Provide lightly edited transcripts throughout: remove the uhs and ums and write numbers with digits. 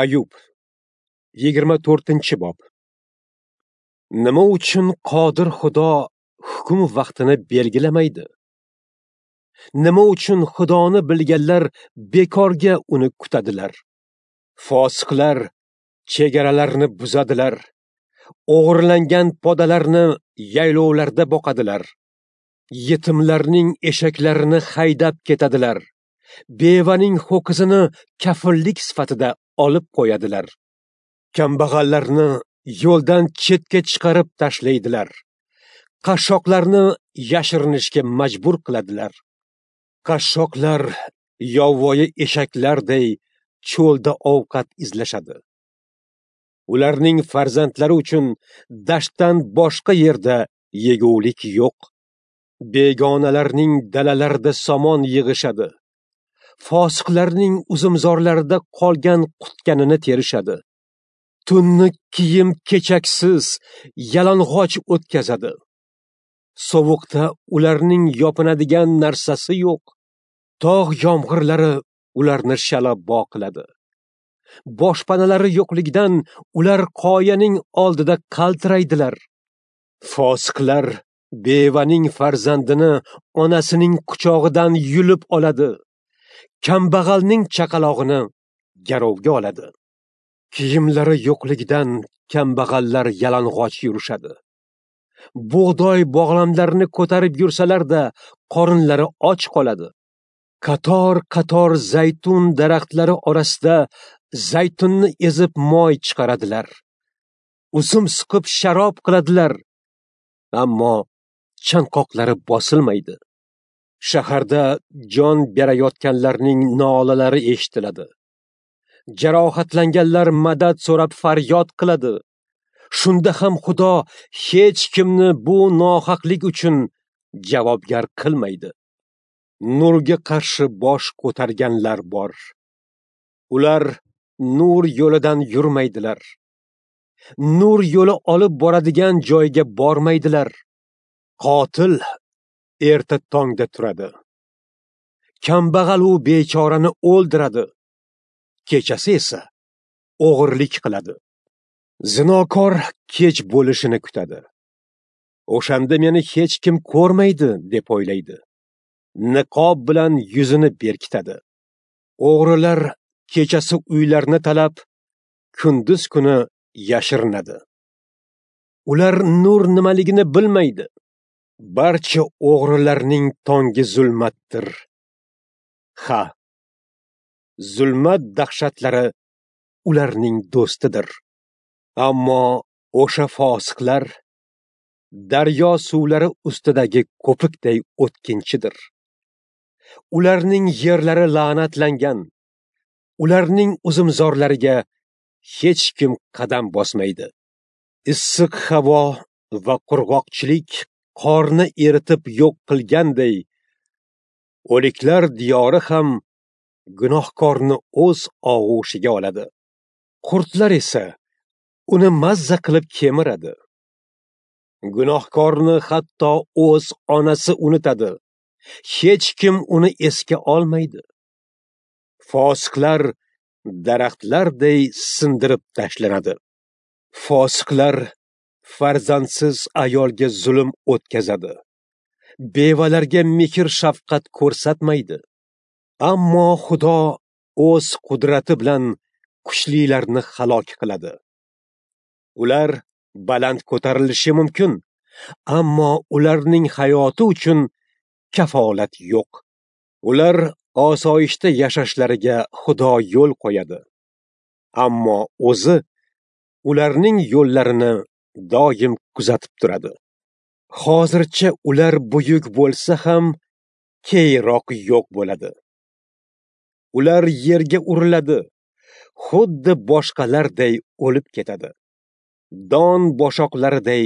Ayub 24-bob. Nima uchun qodir Xudo hukm vaqtini belgilamaydi? Nima uchun Xudoni bilganlar bekorga uni kutadilar? Fosiqlar chegaralarni buzadilar, o'g'irlangan podalarni yaylovlarda boqadilar, yetimlarning eshaklarini haydab ketadilar, bevaning ho'kizini kafillik sifatida olib qo'yadilar, kambag'allarni yo'ldan chetga chiqarib tashlaydilar, qashshoqlarni yashirinishga majbur qiladilar. Qashshoqlar yovvoyi eshaklarday cho'lda ovqat izlashadi. Ularning farzandlari uchun dashtdan boshqa yerda yegulik yo'q. Begonalarning dalalarida somon yig'ishadi. Fosiqlarning uzumzorlarida qolgan qutganini terishadi. Tunni kiyim kechaksiz, yalang'och o'tkazadi. Sovuqda ularning yopinadigan narsasi yo'q. Tog' yomg'irlari ularni shalabbo qiladi. Boshpanalari yo'qligidan ular qoyaning oldida qaltiraydilar. Fosiqlar bevaning farzandini onasining quchog'idan yulib oladi. Kambag'alning chaqalog'ini garovga oladi. Kiyimlari yo'qligidan kambag'allar yalang'och yurishadi. Bug'doy bog'lamlarini ko'tarib yursalar-da, qorinlari och qoladi. Qator-qator zaytun daraxtlari orasida zaytunni ezib moy chiqaradilar. Uzum siqib sharob qiladilar. Ammo chanqoqlari bosilmaydi. Shaharda jon berayotganlarning nolalari eshitiladi. Jarohatlanganlar madad so'rab faryod qiladi. Shunda ham Xudo hech kimni bu nohaqlik uchun javobgar qilmaydi. Nurga qarshi bosh ko'targanlar bor. Ular nur yo'lidan yurmaydilar. Nur yo'li olib boradigan joyga bormaydilar. Qotil erta tongda turadi. Kambag'al u bechorani o'ldiradi. Kechasi esa o'g'irlik qiladi. Zinokor kech bo'lishini kutadi. O'shanda meni hech kim ko'rmaydi deb o'ylaydi. Niqob bilan yuzini berkitadi. O'g'rilar kechasi uylarni talab, kunduz kuni yashirinadi. Ular nur nimaligini bilmaydi. Barcha o'g'rilarning tongi zulmatdir. Ha, zulmat dahshatlari ularning do'stidir. Ammo o'sha fosiqlar daryo suvlari ustidagi ko'pikday o'tkinchidir. Ularning yerlari la'natlangan. Ularning uzumzorlariga hech kim qadam bosmaydi. Issiq havo va qurg'oqchilik qorni eritib yo'q qilganday, o'liklar diyori ham gunohkorni o'z og'ushiga oladi. Qurtlar esa uni mazza qilib kemiradi. Gunohkorni hatto o'z onasi unutadi. Hech kim uni esga olmaydi. Fosiqlar daraxtlarday sindirib tashlanadi. Fosiqlar farzandsiz ayolga zulm o'tkazadi. Bevalarga mehr shafqat ko'rsatmaydi. Ammo Xudo o'z qudrati bilan kuchlilarni halok qiladi. Ular baland ko'tarilishi mumkin, ammo ularning hayoti uchun kafolat yo'q. Ular osoyishta yashashlariga Xudo yo'l qo'yadi. Ammo o'zi ularning yo'llarini doim kuzatib turadi. Hozircha ular buyuk bo'lsa ham, keyinroq yo'q bo'ladi. Ular yerga uriladi, xuddi boshqalarday o'lib ketadi. Don boshoqlariday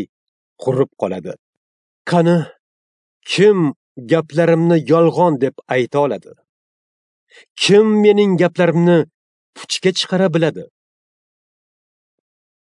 qurib qoladi. Qani, kim gaplarimni yolg'on deb ayta oladi? Kim mening gaplarimni puchga chiqara biladi?